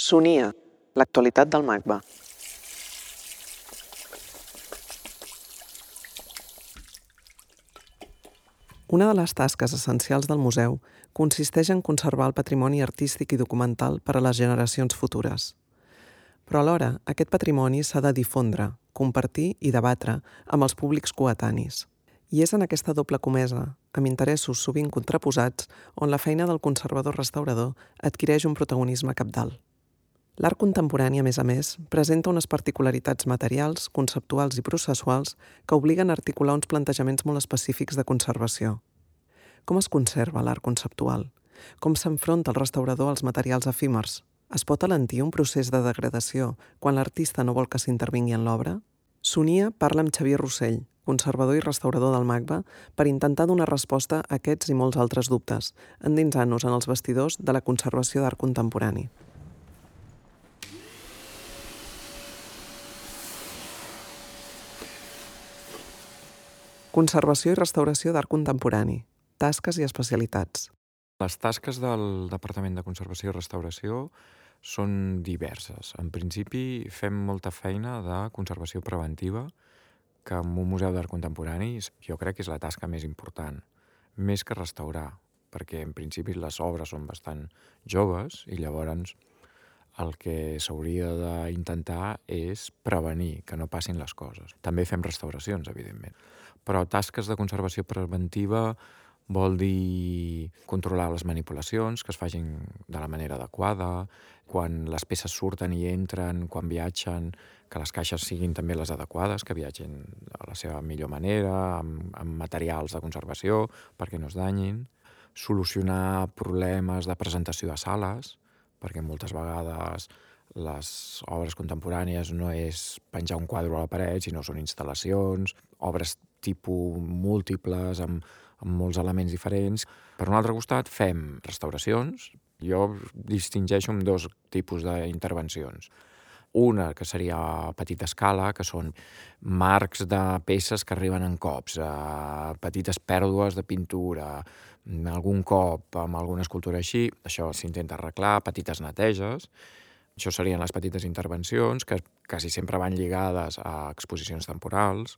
Sonia, l'actualitat del MACBA. Una de les tasques essencials del museu consisteix en conservar el patrimoni artístic i documental per a les generacions futures. Però alhora, aquest patrimoni s'ha de difondre, compartir i debatre amb els públics coetanis. I és en aquesta doble comesa, amb interessos sovint contraposats, on la feina del conservador-restaurador adquireix un protagonisme cabdal. L'art contemporani, a més, presenta unes particularitats materials, conceptuals i processuals que obliguen a articular uns plantejaments molt específics de conservació. Com es conserva l'art conceptual? Com s'enfronta el restaurador als materials efímers? Es pot alentir un procés de degradació quan l'artista no vol que s'intervingui en l'obra? Sonia parla amb Xavier Rossell, conservador i restaurador del MACBA, per intentar donar resposta a aquests i molts altres dubtes, endinsant-nos en els vestidors de la conservació d'art contemporani. Conservació i restauració d'art contemporani, tasques i especialitats. Les tasques del Departament de Conservació i Restauració són diverses. En principi fem molta feina de conservació preventiva, que en un museu d'art contemporani jo crec que és la tasca més important, més que restaurar, perquè en principi les obres són bastant joves i llavors el que s'hauria d'intentar és prevenir que no passin les coses. També fem restauracions, evidentment. Però tasques de conservació preventiva vol dir controlar les manipulacions, que es facin de la manera adequada, quan les peces surten i entren, quan viatgen, que les caixes siguin també les adequades, que viatgin a la seva millor manera, amb materials de conservació, perquè no es danyin. Solucionar problemes de presentació a sales, perquè moltes vegades les obres contemporànies no és penjar un quadre a la paret, sinó són instal·lacions, obres tipus múltiples, amb molts elements diferents. Per un altre costat, fem restauracions. Jo distingeixo amb dos tipus d'intervencions. Una, que seria a petita escala, que són marcs de peces que arriben en cops, petites pèrdues de pintura, algun cop amb alguna escultura així. Això s'intenta arreglar, petites neteges. Això serien les petites intervencions, que quasi sempre van lligades a exposicions temporals.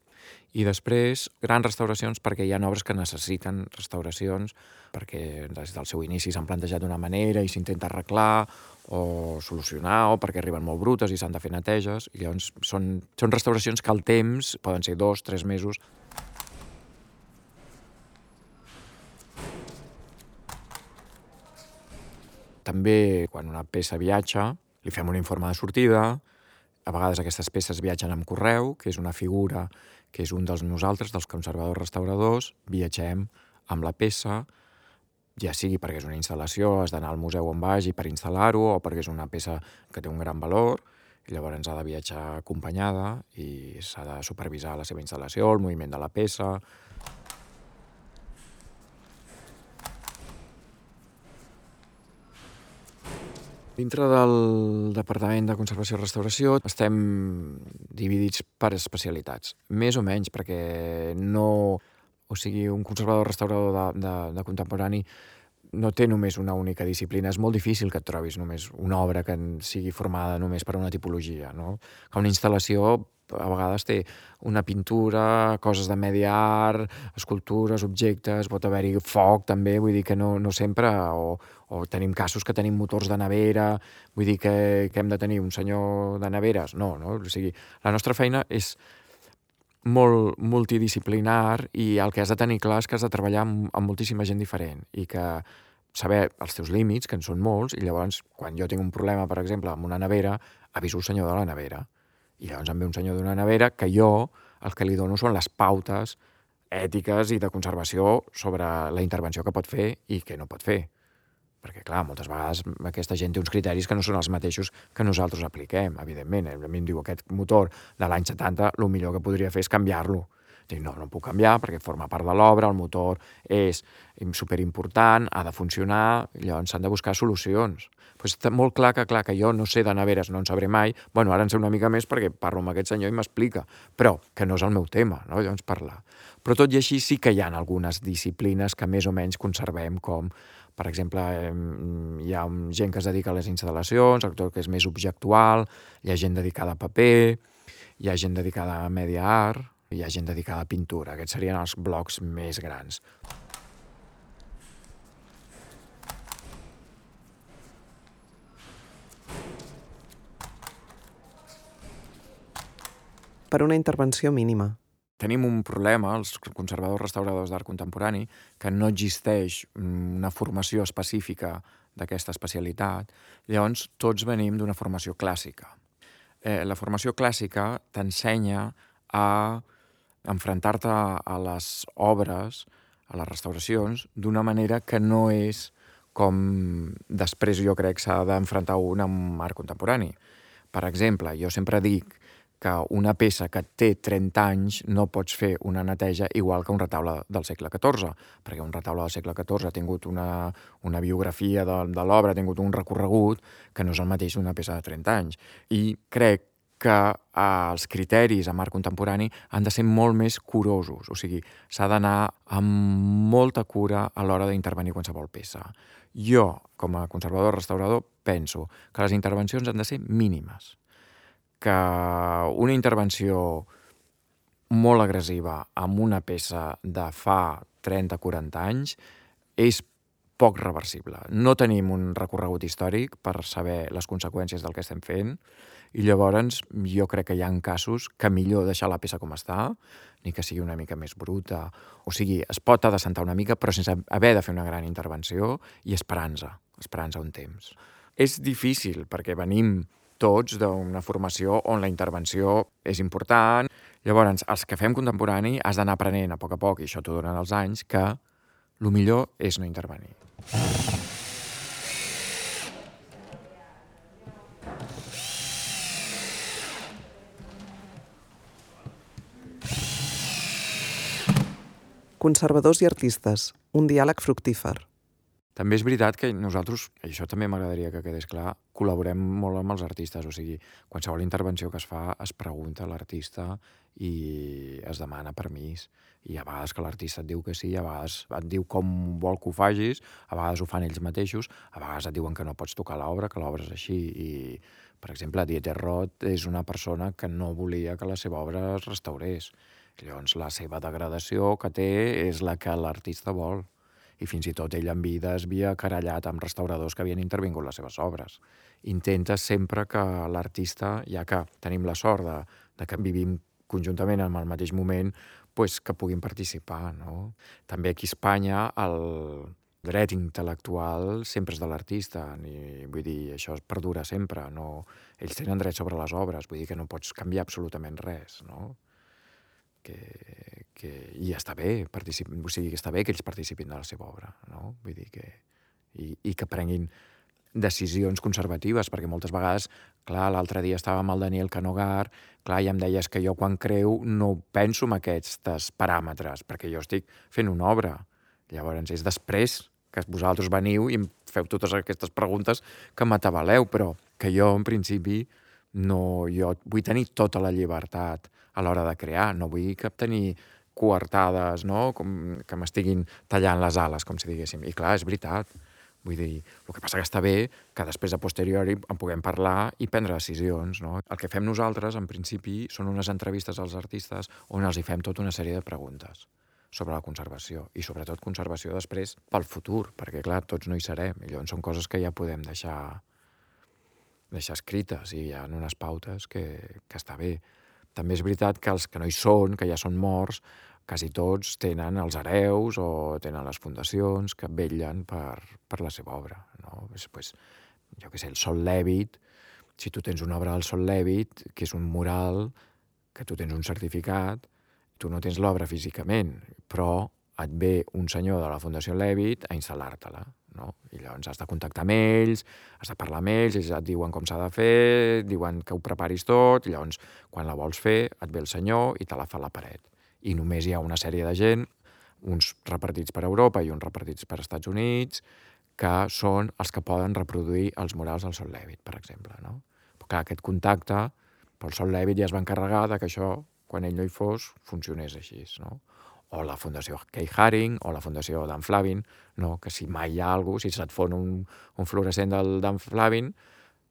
I després, grans restauracions, perquè hi ha obres que necessiten restauracions, perquè des del seu inici s'han plantejat d'una manera i s'intenta arreglar o solucionar, o perquè arriben molt brutes i s'han de fer neteges. I llavors són restauracions que al temps poden ser 2 o 3 mesos. També, quan una peça viatja, li fem un informe de sortida. A vegades aquestes peces viatgen amb correu, que és una figura que és un dels nosaltres, dels conservadors restauradors. Viatgem amb la peça, ja sigui perquè és una instal·lació, has d'anar al museu on vagi per instal·lar-ho, o perquè és una peça que té un gran valor, i llavors ha de viatjar acompanyada i s'ha de supervisar la seva instal·lació, el moviment de la peça. Dintre del Departament de Conservació i Restauració estem dividits per especialitats, més o menys, perquè no... O sigui, un conservador-restaurador de contemporani no té només una única disciplina. És molt difícil que et trobis només una obra que sigui formada només per una tipologia, no? Que una instal·lació a vegades té una pintura, coses de medi art, escultures, objectes, pot haver-hi foc també, vull dir que no sempre, o tenim casos que tenim motors de nevera, vull dir que hem de tenir un senyor de neveres, no? O sigui, la nostra feina és molt multidisciplinar i el que has de tenir clar és que has de treballar amb moltíssima gent diferent i que saber els teus límits, que en són molts, i llavors quan jo tinc un problema, per exemple, amb una nevera, aviso el senyor de la nevera. I llavors em ve un senyor d'una nevera que jo el que li dono són les pautes ètiques i de conservació sobre la intervenció que pot fer i que no pot fer. Perquè, clar, moltes vegades aquesta gent té uns criteris que no són els mateixos que nosaltres apliquem, evidentment. A mi em diu aquest motor de l'any 70, el millor que podria fer és canviar-lo. Dic, no puc canviar perquè forma part de l'obra, el motor és superimportant, ha de funcionar, i llavors s'han de buscar solucions. Però està molt clar que jo no sé de neveres, no en sabré mai. Bueno, ara en sé una mica més perquè parlo amb aquest senyor i m'explica, però que no és el meu tema, no? Llavors parlar. Però tot i així sí que hi ha algunes disciplines que més o menys conservem, com Per exemple, hi ha gent que es dedica a les instal·lacions, tot que és més objectual, hi ha gent dedicada a paper, hi ha gent dedicada a media art, hi ha gent dedicada a pintura. Aquests serien els blocs més grans. Per una intervenció mínima. Tenim un problema, els conservadors restauradors d'art contemporani, que no existeix una formació específica d'aquesta especialitat. Llavors, tots venim d'una formació clàssica. La formació clàssica t'ensenya a enfrontar-te a les obres, a les restauracions, d'una manera que no és com després jo crec s'ha d'enfrontar un amb art contemporani. Per exemple, jo sempre dic que una peça que té 30 anys no pots fer una neteja igual que un retaule del segle XIV, perquè un retaule del segle XIV ha tingut una biografia de l'obra, ha tingut un recorregut que no és el mateix una peça de 30 anys. I crec que els criteris en art contemporani han de ser molt més curosos, o sigui, s'ha d'anar amb molta cura a l'hora d'intervenir qualsevol peça. Jo, com a conservador restaurador, penso que les intervencions han de ser mínimes, que una intervenció molt agressiva amb una peça de fa 30-40 anys és poc reversible. No tenim un recorregut històric per saber les conseqüències del que estem fent i llavors jo crec que hi ha casos que millor deixar la peça com està, ni que sigui una mica més bruta. O sigui, es pot adecentar una mica però sense haver de fer una gran intervenció i esperant-se un temps. És difícil perquè venim tots d'una formació on la intervenció és important. Llavors, els que fem contemporani has d'anar aprenent a poc, i això t'ho donen els anys, que el millor és no intervenir. Conservadors i artistes, un diàleg fructífer. També és veritat que nosaltres, i això també m'agradaria que quedés clar, col·laborem molt amb els artistes, o sigui, qualsevol intervenció que es fa es pregunta a l'artista i es demana permís. I a vegades que l'artista et diu que sí, a vegades et diu com vol que ho facis, a vegades ho fan ells mateixos, a vegades et diuen que no pots tocar l'obra, que l'obra és així. I, per exemple, Dieter Roth és una persona que no volia que la seva obra es restaurés. Llavors, la seva degradació que té és la que l'artista vol. I fins i tot ell en vida es havia querellat amb restauradors que havien intervingut les seves obres. Intenta sempre que l'artista, ja que tenim la sort de que vivim conjuntament en el mateix moment, pues, que puguin participar, no? També aquí a Espanya el dret intel·lectual sempre és de l'artista, vull dir, això perdura sempre, no? Ells tenen dret sobre les obres, vull dir que no pots canviar absolutament res, no? I està bé, o sigui, que està bé que ells participin de la seva obra, no? Vull dir que... I que prenguin decisions conservatives, perquè moltes vegades, clar, l'altre dia estava amb el Daniel Canogar, clar, i em deies que jo quan creu no penso en aquests paràmetres, perquè jo estic fent una obra. Llavors és després que vosaltres veniu i em feu totes aquestes preguntes que m'atabaleu, però que jo, en principi, no, jo vull tenir tota la llibertat a l'hora de crear, no vull tenir coartades, no? Com que m'estiguin tallant les ales, com si diguéssim. I clar, és veritat. Vull dir, el que passa que està bé que després a posteriori en puguem parlar i prendre decisions, no? El que fem nosaltres, en principi, són unes entrevistes als artistes on els hi fem tota una sèrie de preguntes sobre la conservació i sobretot conservació després pel futur, perquè clar, tots no hi serem i llavors són coses que ja podem deixar escrites i hi ha unes pautes que està bé. També és veritat que els que no hi són, que ja són morts, quasi tots tenen els hereus o tenen les fundacions que vetllen per la seva obra, no? Pues, jo què sé, el Sol Lèvit, si tu tens una obra del Sol Lèvit, que és un mural, que tu tens un certificat, tu no tens l'obra físicament, però et ve un senyor de la Fundació Lèvit a instal·lar-te-la, no? I llavors has de contactar amb ells, has de parlar amb ells et diuen com s'ha de fer, diuen que ho preparis tot, i llavors quan la vols fer et ve el senyor i te la fa a la paret. I només hi ha una sèrie de gent, uns repartits per Europa i uns repartits per Estats Units, que són els que poden reproduir els murals del Sol Lèvit, per exemple, no? Però clar, aquest contacte, pel Sol Lèvit ja es va encarregar que això, quan ell no hi fos, funcionés així, no? o la Fundació Keith Haring, o la Fundació Dan Flavin, no? Que si mai hi ha alguna cosa, si se't fon un fluorescent del Dan Flavin,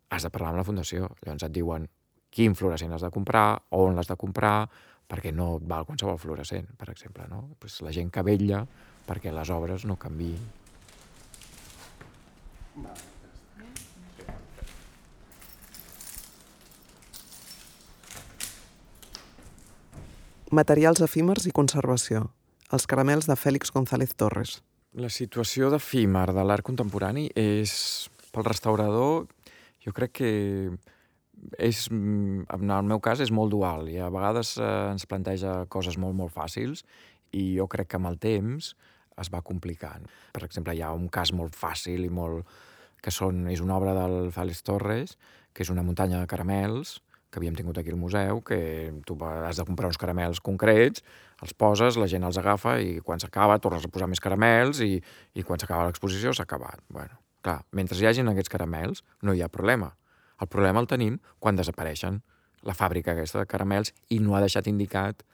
has de parlar amb la fundació. Llavors et diuen quin fluorescent has de comprar, on l'has de comprar, perquè no et val qualsevol fluorescent, per exemple, no? Pues la gent que vetlla perquè les obres no canviïn. Materials efímers i conservació. Els caramels de Félix González Torres. La situació d'efímer de l'art contemporani és, pel restaurador, jo crec que és, en el meu cas, és molt dual i a vegades ens planteja coses molt, molt fàcils i jo crec que amb el temps es va complicant. Per exemple, hi ha un cas molt fàcil i molt... que és una obra del Félix Torres, que és una muntanya de caramels, que havíem tingut aquí al museu, que tu has de comprar uns caramels concrets, els poses, la gent els agafa i quan s'acaba tornes a posar més caramels i quan s'acaba l'exposició s'ha acabat. Bueno, clar, mentre hi hagin aquests caramels no hi ha problema. El problema el tenim quan desapareixen la fàbrica aquesta de caramels i no ha deixat indicat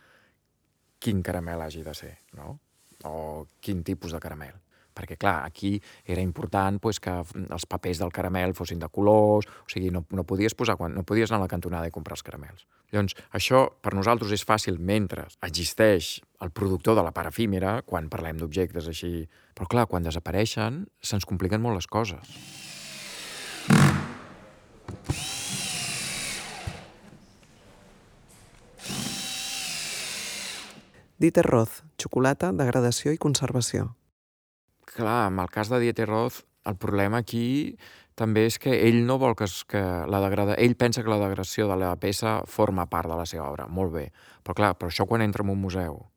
quin caramel hagi de ser, no? O quin tipus de caramel. Perquè, clar, aquí era important pues, que els papers del caramel fossin de colors, o sigui, no podies no podies anar a la cantonada i comprar els caramels. Llavors, això per nosaltres és fàcil mentre existeix el productor de la part efímera, quan parlem d'objectes així. Però, clar, quan desapareixen, se'ns compliquen molt les coses. Dieter Roth, xocolata, degradació i conservació. Clar, en el cas de Dieter Roth, el problema aquí també és que ell no vol ell pensa que la degradació de la peça forma part de la seva obra, molt bé. Però clar, això quan entra en un museu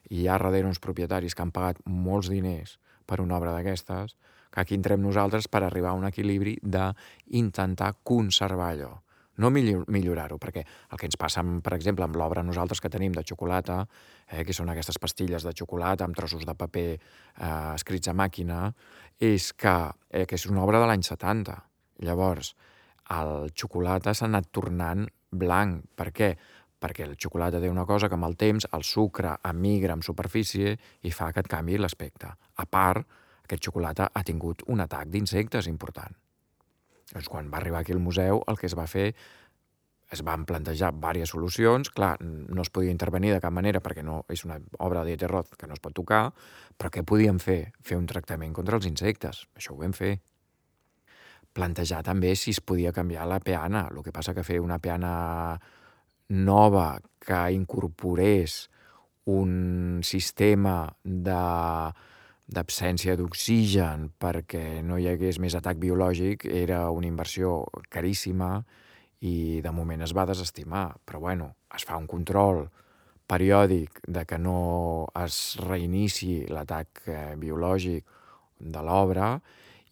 i hi ha darrere uns propietaris que han pagat molts diners per una obra d'aquestes, que aquí entrem nosaltres per arribar a un equilibri d'intentar conservar allò. No millorar-ho, perquè el que ens passa, per exemple, amb l'obra nosaltres que tenim de xocolata, que són aquestes pastilles de xocolata amb trossos de paper escrits a màquina, és que és una obra de l'any 70. Llavors, el xocolata s'ha anat tornant blanc. Per què? Perquè el xocolata té una cosa que amb el temps el sucre emigra en superfície i fa que et canviï l'aspecte. A part, aquest xocolata ha tingut un atac d'insectes important. Doncs quan va arribar aquí al museu, el que es va fer, es van plantejar diverses solucions. Clar, no es podia intervenir de cap manera perquè no és una obra de Dieter Roth que no es pot tocar, però què podíem fer? Fer un tractament contra els insectes. Això ho vam fer. Plantejar també si es podia canviar la peana. El que passa que fer una peana nova que incorporés un sistema d'absència d'oxigen perquè no hi hagués més atac biològic era una inversió caríssima i de moment es va desestimar. Però bueno, es fa un control periòdic de que no es reinici l'atac biològic de l'obra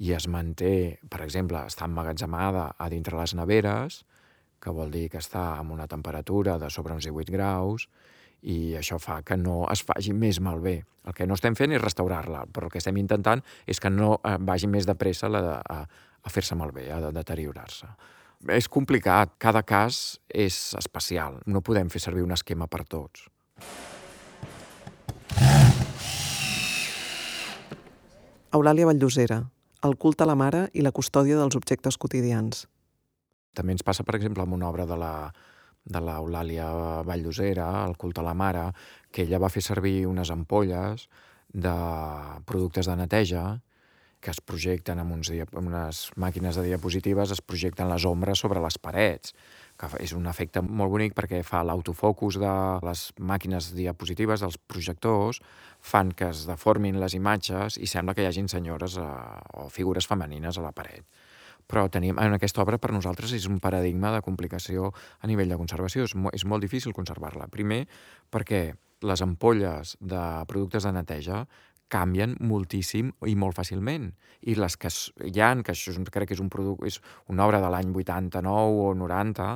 i es manté, per exemple, està emmagatzemada a dintre les neveres, que vol dir que està amb una temperatura de sobre uns 18 graus, i això fa que no es faci més malbé. El que no estem fent és restaurar-la, però el que estem intentant és que no vagi més de pressa a fer-se malbé, a deteriorar-se. És complicat, cada cas és especial, no podem fer servir un esquema per tots. Eulàlia Valldosera, el culte a la mare i la custòdia dels objectes quotidians. També ens passa, per exemple, amb una obra de l'Eulàlia Valldosera, el culte a la mare, que ella va fer servir unes ampolles de productes de neteja que es projecten amb unes màquines de diapositives, es projecten les ombres sobre les parets, que és un efecte molt bonic perquè fa l'autofocus de les màquines diapositives, dels projectors, fan que es deformin les imatges i sembla que hi hagin senyores o figures femenines a la paret. Però en aquesta obra per nosaltres és un paradigma de complicació a nivell de conservació. És molt difícil conservar-la. Primer, perquè les ampolles de productes de neteja canvien moltíssim i molt fàcilment. I les que hi ha, que això crec que és una obra de l'any 89 o 90,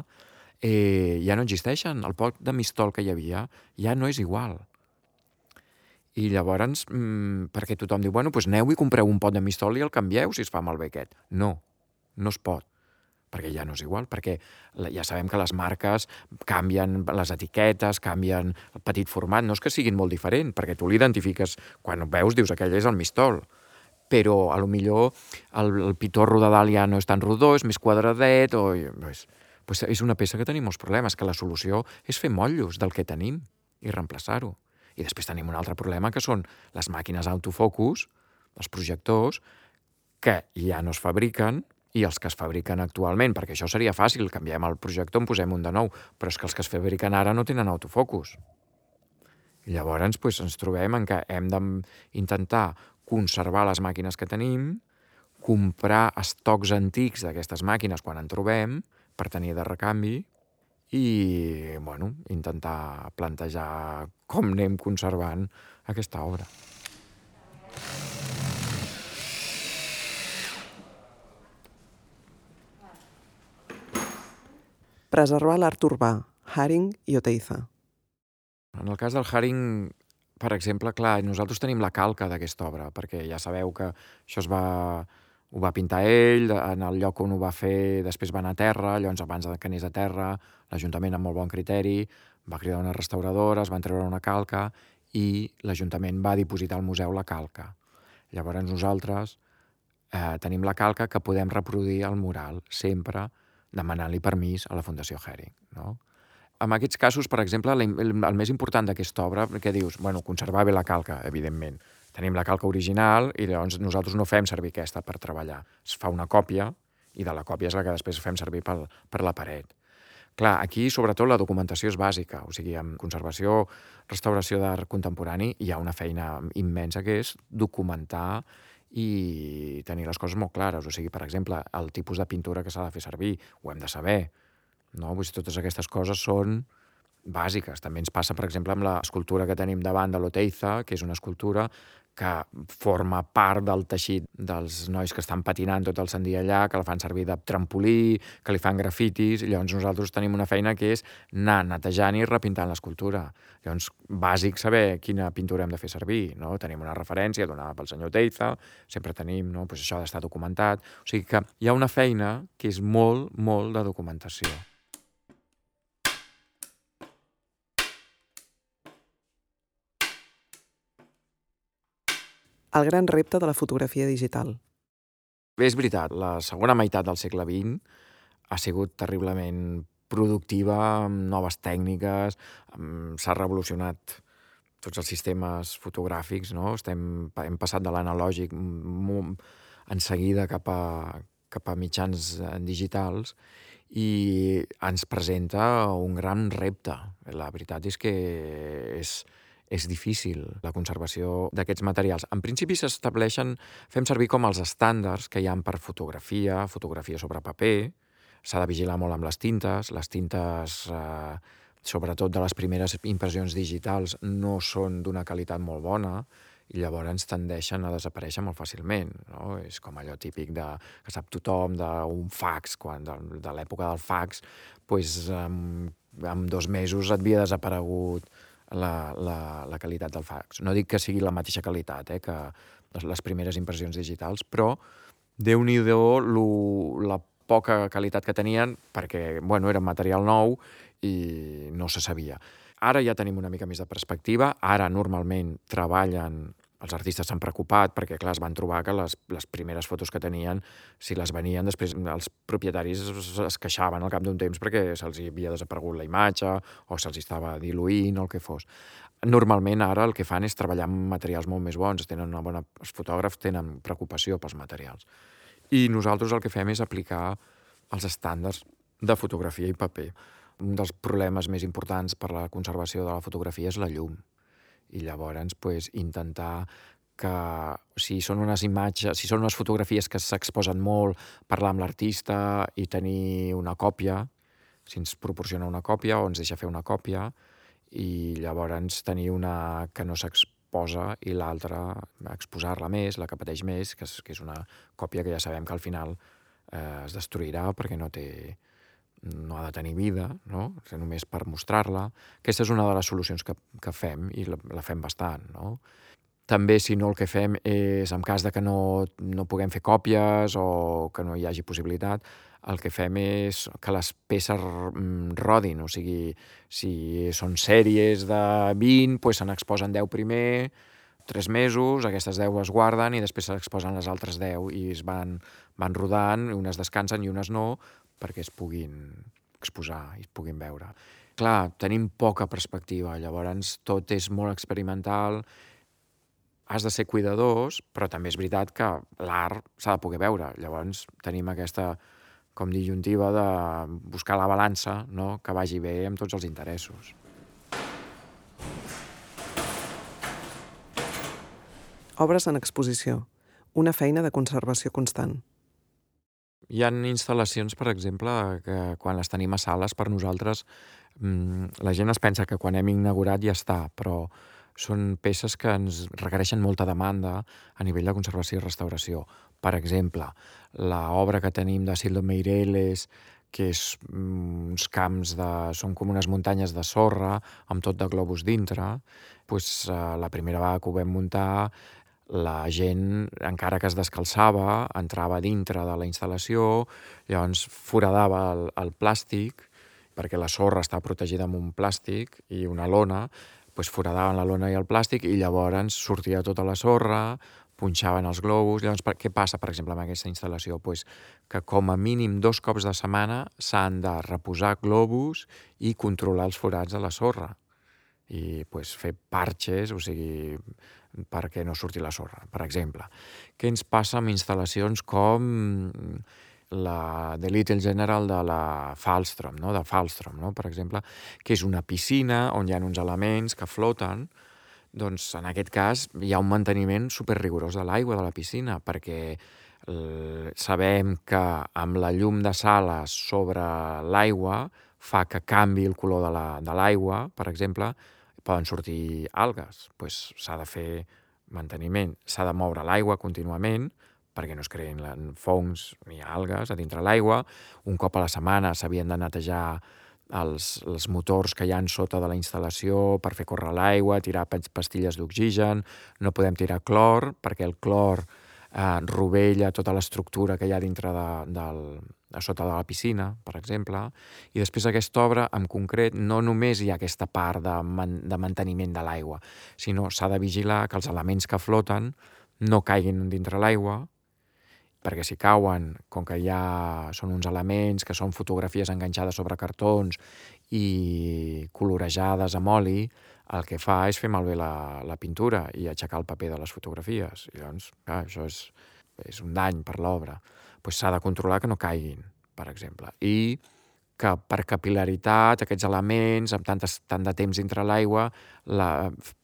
ja no existeixen. El pot de mistol que hi havia ja no és igual. I llavors, perquè tothom diu, bueno, doncs aneu i compreu un pot de mistol i el canvieu si es fa malbé aquest. No es pot, perquè ja no és igual, perquè ja sabem que les marques canvien les etiquetes, canvien el petit format, no és que siguin molt diferent, perquè tu l'identifiques, quan ho veus dius aquell és el Mistol, però a lo millor el pitorro de dalt ja no és tan rodó, és més quadradet, o pues és una peça que tenim molts problemes, que la solució és fer motllos del que tenim i reemplaçar-ho. I després tenim un altre problema, que són les màquines autofocus, els projectors, que ja no es fabriquen, i els que es fabriquen actualment, perquè això seria fàcil, canviem el projector, en posem un de nou, però és que els que es fabriquen ara no tenen autofocus. I llavors ens trobem en que hem d'intentar conservar les màquines que tenim, comprar estocs antics d'aquestes màquines quan en trobem, per tenir de recanvi, i intentar plantejar com anem conservant aquesta obra. Preservar l'art urbà, Haring i Oteiza. En el cas del Haring, per exemple, clar, nosaltres tenim la calca d'aquesta obra, perquè ja sabeu que això ho va pintar ell, en el lloc on ho va fer després va anar a terra, llavors abans que anés a terra, l'Ajuntament amb molt bon criteri va cridar unes restauradores, van treure una calca i l'Ajuntament va dipositar al museu la calca. Llavors nosaltres tenim la calca que podem reproduir al mural, sempre demanant-li permís a la Fundació Haring, no? En aquests casos, per exemple, el més important d'aquesta obra, que dius, conservar bé la calca, evidentment. Tenim la calca original i llavors nosaltres no fem servir aquesta per treballar. Es fa una còpia i de la còpia és la que després fem servir per la paret. Clar, aquí sobretot la documentació és bàsica, o sigui, en conservació, restauració d'art contemporani hi ha una feina immensa que és documentar i tenir les coses molt clares. O sigui, per exemple, el tipus de pintura que s'ha de fer servir, ho hem de saber, no? Totes aquestes coses són bàsiques. També ens passa, per exemple, amb l'escultura que tenim davant de l'Oteiza, que és una escultura que forma part del teixit dels nois que estan patinant tot el Sant dia allà, que la fan servir de trampolí, que li fan grafitis, i llavors nosaltres tenim una feina que és anar netejant i repintant l'escultura. Llavors, bàsic saber quina pintura hem de fer servir, no? Tenim una referència donada pel senyor Oteiza, sempre tenim, no? Pues això ha d'estar documentat. O sigui que hi ha una feina que és molt, molt de documentació. El gran repte de la fotografia digital. Bé, és veritat, la segona meitat del segle XX ha sigut terriblement productiva, amb noves tècniques, s'ha revolucionat tots els sistemes fotogràfics, no? Hem passat de l'analògic en seguida cap a mitjans digitals i ens presenta un gran repte. La veritat és que és difícil la conservació d'aquests materials. En principi fem servir com els estàndards que hi ha per fotografia sobre paper. S'ha de vigilar molt amb les tintes, sobretot de les primeres impressions digitals, no són d'una qualitat molt bona i llavors tendeixen a desaparèixer molt fàcilment, no? És com allò típic que sap tothom d'un fax, de l'època del fax, en 2 mesos et havia desaparegut la qualitat del fax. No dic que sigui la mateixa qualitat que les primeres impressions digitals, però Déu-n'hi-do la poca qualitat que tenien, perquè era material nou i no se sabia. Ara ja tenim una mica més de perspectiva, ara normalment treballen, els artistes s'han preocupat perquè, clar, es van trobar que les primeres fotos que tenien, si les venien, després els propietaris es queixaven al cap d'un temps perquè se'ls havia desaparegut la imatge o se'ls estava diluint o el que fos. Normalment ara el que fan és treballar amb materials molt més bons, els fotògrafs tenen preocupació pels materials. I nosaltres el que fem és aplicar els estàndards de fotografia i paper. Un dels problemes més importants per la conservació de la fotografia és la llum. I llavors intentar que si són unes fotografies que s'exposen molt, parlar amb l'artista i tenir una còpia, si ens proporciona una còpia o ens deixa fer una còpia, i llavors tenir una que no s'exposa i l'altra exposar-la més, la que pateix més, que és una còpia que ja sabem que al final es destruirà perquè no ha de tenir vida, no? Només per mostrar-la. Aquesta és una de les solucions que fem i la fem bastant, no? També, si no, el que fem és, en cas de que no puguem fer còpies o que no hi hagi possibilitat, el que fem és que les peces rodin, o sigui, si són sèries de 20, doncs se n'exposen 10 primer, 3 mesos, aquestes 10 es guarden i després s'exposen les altres 10 i van rodant, unes descansen i unes no, perquè es puguin exposar i es puguin veure. Clar, tenim poca perspectiva, llavors tot és molt experimental, has de ser cuidadós, però també és veritat que l'art s'ha de poder veure. Llavors tenim aquesta com disjuntiva de buscar la balança, no?, que vagi bé amb tots els interessos. Obres en exposició. Una feina de conservació constant. Hi ha instal·lacions, per exemple, que quan les tenim a sales, per nosaltres, la gent es pensa que quan hem inaugurat ja està, però són peces que ens requereixen molta demanda a nivell de conservació i restauració. Per exemple, l'obra que tenim de Sildo Meireles, que és uns camps són com unes muntanyes de sorra amb tot de globus dintre, doncs la primera vegada que ho vam muntar, la gent, encara que es descalçava, entrava dintre de la instal·lació, llavors foradava el plàstic, perquè la sorra està protegida amb un plàstic i una lona, doncs foradaven la lona i el plàstic i llavors sortia tota la sorra, punxaven els globus. Llavors, què passa, per exemple, amb aquesta instal·lació? Doncs que com a mínim 2 cops de setmana s'han de reposar globus i controlar els forats de la sorra i fer parxes, o sigui, perquè no surti la sorra, per exemple. Què ens passa amb instal·lacions com la The Little General de la Falstrom, no?, per exemple, que és una piscina on hi ha uns elements que floten. Doncs en aquest cas hi ha un manteniment superrigorós de l'aigua de la piscina, perquè sabem que amb la llum de sales sobre l'aigua fa que canvi el color de l'aigua, per exemple, poden sortir algues. Doncs s'ha de fer manteniment, s'ha de moure l'aigua contínuament perquè no es creïn fongs ni algues a dintre l'aigua. Un cop a la setmana s'havien de netejar els motors que hi ha sota de la instal·lació per fer córrer l'aigua, tirar pastilles d'oxigen, no podem tirar clor perquè el clor rovella tota l'estructura que hi ha dintre a sota de la piscina, per exemple. I després aquesta obra, en concret, no només hi ha aquesta part de manteniment de l'aigua, sinó s'ha de vigilar que els elements que floten no caiguin dintre l'aigua, perquè si cauen, com que són uns elements que són fotografies enganxades sobre cartons i colorejades amb oli, el que fa és fer malbé la pintura i aixecar el paper de les fotografies. I llavors, clar, això és un dany per l'obra. Doncs s'ha de controlar que no caiguin, per exemple. I que per capil·laritat aquests elements, amb tant de temps dintre l'aigua,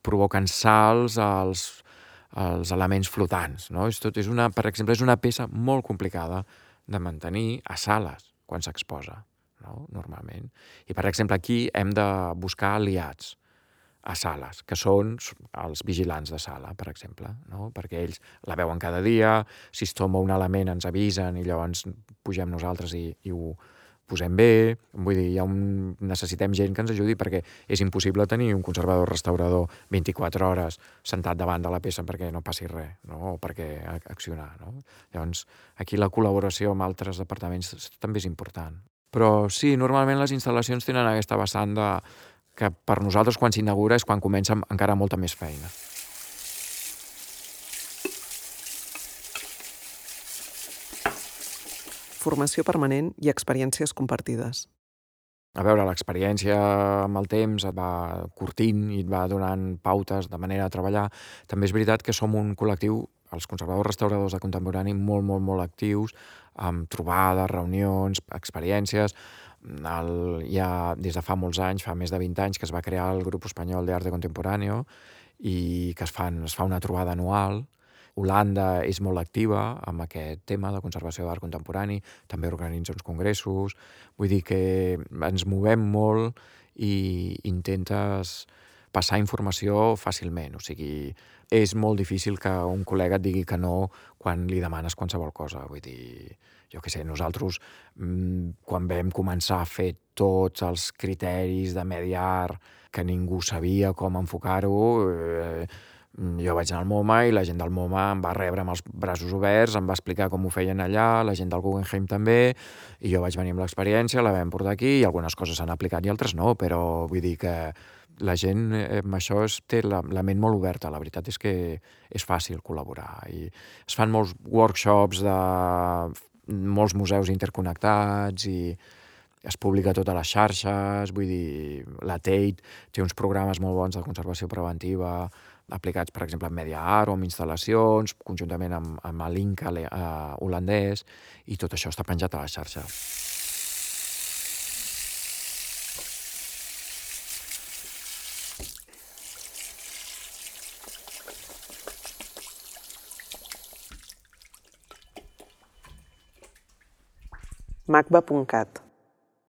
provoquen salts als elements flotants, no? Per exemple, és una peça molt complicada de mantenir a sales quan s'exposa, no?, normalment. I, per exemple, aquí hem de buscar aliats a sales, que són els vigilants de sala, per exemple, no?, perquè ells la veuen cada dia, si es tomba un element ens avisen i llavors pugem nosaltres i ho posem bé. Vull dir, necessitem gent que ens ajudi perquè és impossible tenir un conservador restaurador 24 hores sentat davant de la peça perquè no passi res, no?, o perquè accionar, no? Llavors, aquí la col·laboració amb altres departaments també és important. Però sí, normalment les instal·lacions tenen aquesta vessant que per nosaltres quan s'inaugura és quan comença encara molta més feina. Formació permanent i experiències compartides. A veure, l'experiència amb el temps et va curtint i et va donant pautes de manera de treballar. També és veritat que som un col·lectiu, els conservadors restauradors de contemporani, molt, molt, molt actius, amb trobades, reunions, experiències. Ja des de fa molts anys, fa més de 20 anys, que es va crear el Grup Espanyol d'Arte Contemporáneo i que es fa una trobada anual. Holanda és molt activa amb aquest tema de conservació d'art contemporani, també organitza uns congressos. Vull dir que ens movem molt i intentes passar informació fàcilment. O sigui, és molt difícil que un col·lega et digui que no quan li demanes qualsevol cosa. Vull dir, jo què sé, nosaltres quan vam començar a fer tots els criteris de Mediart que ningú sabia com enfocar-ho, Jo vaig anar al MoMA i la gent del MoMA em va rebre amb els braços oberts, em va explicar com ho feien allà, la gent del Guggenheim també, i jo vaig venir amb l'experiència, la vam portar aquí, i algunes coses s'han aplicat i altres no, però vull dir que la gent amb això té la ment molt oberta. La veritat és que és fàcil col·laborar. I es fan molts workshops de molts museus interconnectats i es publica a totes les xarxes, vull dir, la Tate té uns programes molt bons de conservació preventiva aplicats, per exemple, en Media Art o en instal·lacions, conjuntament amb l'Inca holandès, i tot això està penjat a la xarxa. macba.cat